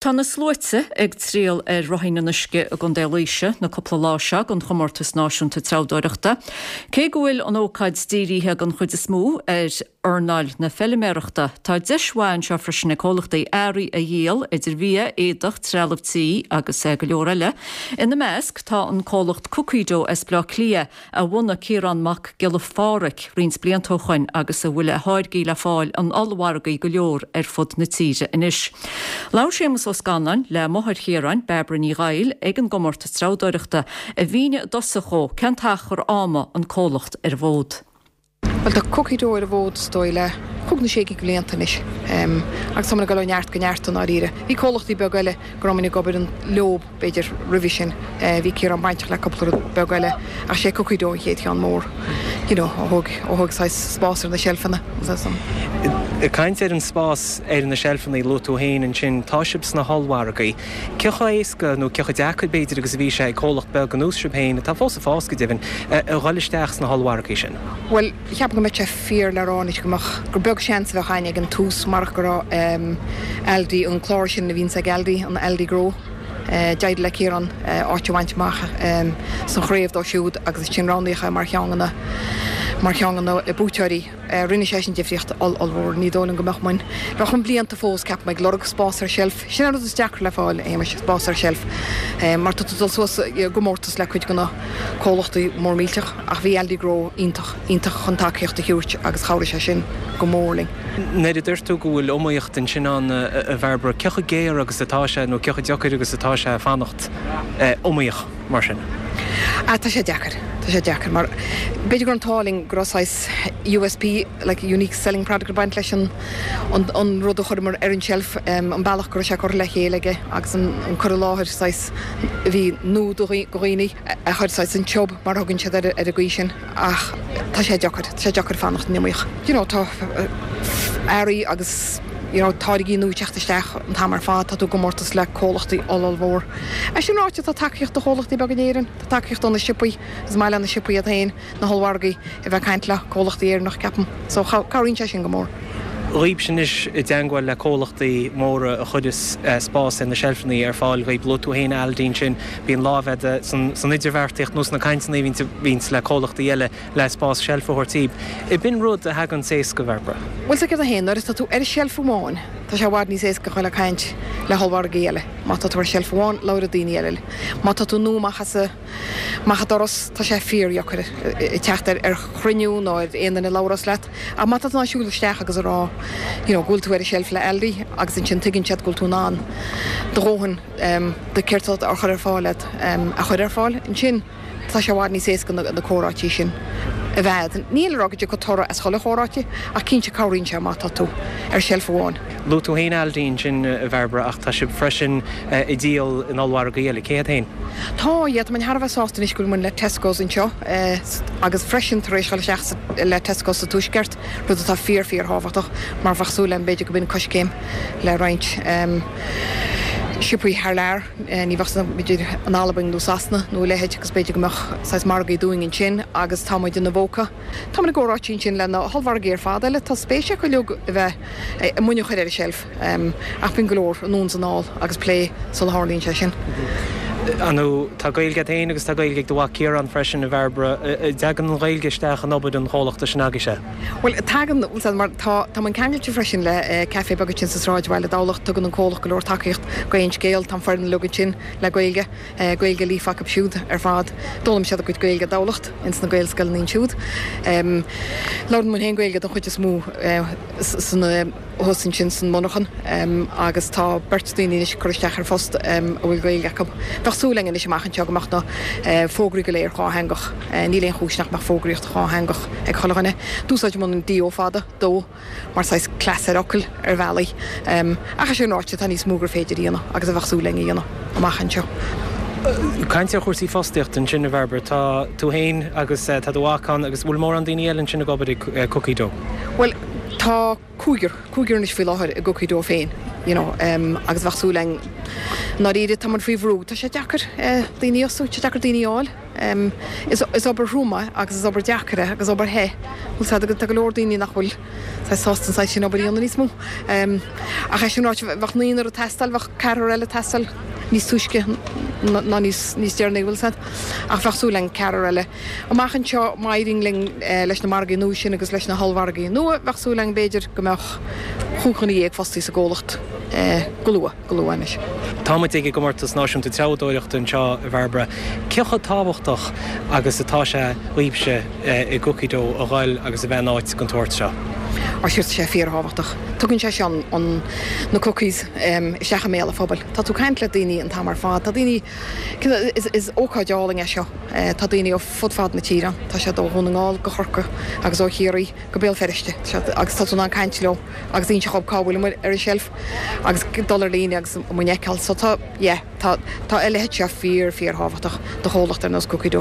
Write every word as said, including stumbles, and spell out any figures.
Tá na sluaite ag triall ar Ráithín an Uisce i gContae Laoise na cúpla lá seo don chomórtas náisiúnta treabhdóireachta. Cé go bhfuil an ócáid dírithe den chuid is mó ar earnáil na feilméarachta, Tá deis mhaith anseo freisin ag comhlachtaí earraí a dhíol idir bhia, éadach, trealamh tí agus go leor eile. Ina measc tá an comhlacht Cookie Dough as Baile Átha Cliath a bhunaigh Ciarán Mac Giolla Phádraig roinnt blianta ó shin agus a bhfuil a tháirgí le fáil in ollmhargaí go leor ar fud na tíre anois. Labhair Séamus Ó Scanláin le máthair Chiaráin Bairbre Ní Ghail ag an gcomórtas treabhdóireachta a mhínigh i dtosach dó cén t-achar ama an comhlacht ar an bhfód. Well tá Cookie Dough ar an bhfód is dóigh le cúig nó sé blianta anois um, agus tá ag dul ó neart go neart i ndáiríre. Bhí comhlachtaí beaga eile go raibh ag obair leo b'fhéidir roimhe sin uh, bhí Ciarán bainteach le cúpla beag eile ach sé Cookie Dough an chéad cheann mór. You know, ó thóg ó thóg spás ar na seilfeanna. Ag caint ar an spás ar na seilfeanna luaigh tú féin ansin tá sibh sna hollmhargaí. Cé chomh héasca nó cé chomh deacair b'fhéidir agus a bhí sé ag comhlacht beag ar nós sibh féin atá fós ag fás go deimhin a dhul isteach sna hollmhargaí sin. Well cheap go mbeadh sé fíor le rá go mbeadh gur beag seans a bheadh againn ag an tús mar go raibh um, Aldi an clár sin a bhíonn ag Aldi an Aldi Grow. Uh, D'éirigh le Ciarán uh, áit a bhaint amach um, san chraobh dó siúd agus sin roghnaithe mar cheann de na mar cheann de na buaiteoirí uh, rinne sé sin difríocht ollmhór ní dóigh go mbeadh muid. Bheadh an blianta fós ceap ag lorg spás ar shelf, sin an rud is deacra le fáil é spás ar shelf. Uh, mar tá dul suas gcomórtas le cuid de na comhlachtaí mór millteach ach bhí Aldi Grow iontach iontach chun tacaíocht a thabhairt agus chabhraigh sé sin go mór linn. Nuair a deir tú go bhfuil iomaíocht ansin ann a Bhairbre cé chomh géar agus atá sé nó cé chomh deacair agus atá sé fanacht iomaíoch mar sin. A tá sé deacair Tá sé deacair mar b'fhéidir gur an táling grosáis USP like unique selling product baint leis an an, an rud a chuireamar ar an shelf um, an bealach go raibh sé curtha le chéile aige agus an, an cur i láthair saghas a bhí nua do dhaoine a chuir saghas an tiob mar thugann siad ar ar an gcaoi sin ach tá sé deacair tá sé deacair fanacht iomaíoch. You know, tá earraí agus you know, táirgí nua ag teacht isteach an t-am ar fad tá tú i gcomórtas le comhlachtaí ollmhór. É sin ráite tá tacaíocht do chomhlachtaí beaga in Éirinn, tá tacaíocht do na siopaí is maith le na siopaí iad féin na hollmhargaí a bheith caint le comhlachtaí Éireannach ceapaim, so cabhraíonn sé sin go mór. Dhaoib sin is i dteagmháil le comhlachtaí móra a chuireas spás ar na seilfeanna ar fáil dhaoib luaigh tú féin Aldi sin bíonn lámh san san idirbheartaíocht nó sna cainteanna bhíonns le comhlachtaí eile le spás seilf a thabhairt daoib. B'in rud a thagann éasca Bhairbre. Well sa chéad haon nuair tá tú ar shelf amháin Tá sé i bhfad níos éasca le caint le hollmhargaí eile. Má tá tú ar shelf amháin labhróidh daoine eile. Má tá tú nua amach as amach an doras tá sé fíordheacair teacht ar ar chruinniú nó ar aon duine labhairt leat. Ach má tá siúl isteach agus rá you know, go bhfuil tú ar shelf le Aldi agus ansin tuigeann siad go bhfuil tú in ann do dhóthain um, de céard a chur ar fáil um, a chur ar fáil ansin tá sé i bhfad níos éasca na, na comhráití sin a bheith. Níl rá go toradh as chuile chomhráite ach cinnte cabhraíonn sé má tá tú ar shelf amháin. Luaigh tú féin Aldi sin a Bhairbre ach tá sibh freisin ag díol in ollmhargaí eile céad féin. Tá iad man Harbh sásta is go bhfuil le Tesco's anseo agus freisin tar éis isteach le Tesco sa Tuaisceart rud atá fíor fíorthábhachtach mar bheadh súil agam b'fhéidir go b'in coiscéim le roinnt um, siopaí thar lear ní bheadh b'fhéidir an Albain nó Sasana nó leithéid agus b'fhéidir go mbeadh saghas margaí dúinn ansin agus tá muid in Avoca. Tá na comhráití sin le na hollmhargaí ar fad eile tá spéis acu a bheith muid a chur ar a shelf um, ach bíonn go leor anonn is anall agus plé sula tharlaíonn sé sin. Anú tá Gaeilge féin agus tá Gaeilge ag do mhac Ciarán freisin a Bhairbre dtagann an Ghaeilge isteach in obair an chomhlachta sin agaibhse. Well tagann mar tá tá an ceangailte freisin le uh, café beag sin sa sráidbhaile Tamhlacht tugann an comhlacht go leor tacaíocht Gaon scéal tá foireann uilig sin le Gaeilge uh, Gaeilge líofa acu siúd ar fad. D'fhoghlaim siad a gcuid Gaeilge i dTamhlacht ins na Gaelscoileanna siúd. Um, Labhrann muid féin Gaeilge don chuid is mó uh, san thuas ansin san monarchan um, agus tá beirt daoine anois curtha isteach ar phost um, a bhfuil Gaeilge acu. Bheadh súil againn anois amach anseo go mbeadh na uh, fógraí go léir dátheangach uh, níl aon chúis nach mbeadh fógraíocht dhátheangach ag chuile dhuine. D'úsáid muid an D O fada dó mar saghas cleas ar fhocail ar bhealaí. Um, ach sin ráite tá níos mó gur féidir a dhéanamh agus a bheadh súil againn a dhéanamh amach anseo. Caint ar chúrsaí fostaíocht ansin a Bhairbre tá tú féin agus tá do mhac ann agus bhfuil mórán daoine eile ansin ag obair ag Cookie Dough. Well tá cúigear cúigear anois faoi láthair i gCookie Dough féin. you know, agus bheadh súil againn ndáiríre tá muid faoi bhrú, tá sé deacair daoine a fhostú, tá sé deacair daoine a fháil. Is obair throm é agus is obair deacair é agus obair the, bhfuil 's agat, tá go leor daoine nach bhfuil saghas sásta an saghas sin obair a dhéanamh níos mó. Ach é sin ráite, bheadh naonúr ag teastáil, bheadh ceathrar eile ag teastáil níos túisce ná níos deireanaí, bhfuil 's agat. Ach bheadh súil againn ceathrar eile. Amach anseo, má éiríonn linn leis na margaí nua sin agus leis na hollmhargaí nua, bheadh súil againn b'fhéidir go mbeadh chúig dhuine dhéag fostaí sa gcomhlacht go luath, go luath anois. Tá muid ag an gComórtas Náisiúnta Treabhdóireachta anseo a Bhairbre. Cé chomh tábhachtach agus atá sé dhaoibhse i gCookie Dough a ghoil agus a bheith in áit den tsórt seo? Á sure tá sé fíorthábhachtach. Tugann sé seo an na cookies isteach i mbéal an phobail. Tá tú ag caint le daoine an t-am ar fad. Tá daoine, is is ócáid álainn é seo. Tá daoine ó fud fad na tíre ann. Tá siad ó Dhún na nGall go Corcaigh agus ó Chiarraí go Béal Feirste. Agus tá tú in ann caint leo agus inse dhóibh cá bhfuil muid ar an tseilf agus dul ar líne agus muid a fheiceáil. So tá, yeah, tá tá a leithéid seo fíor fíorthábhachtach do chomhlacht ar nós Cookie Dough.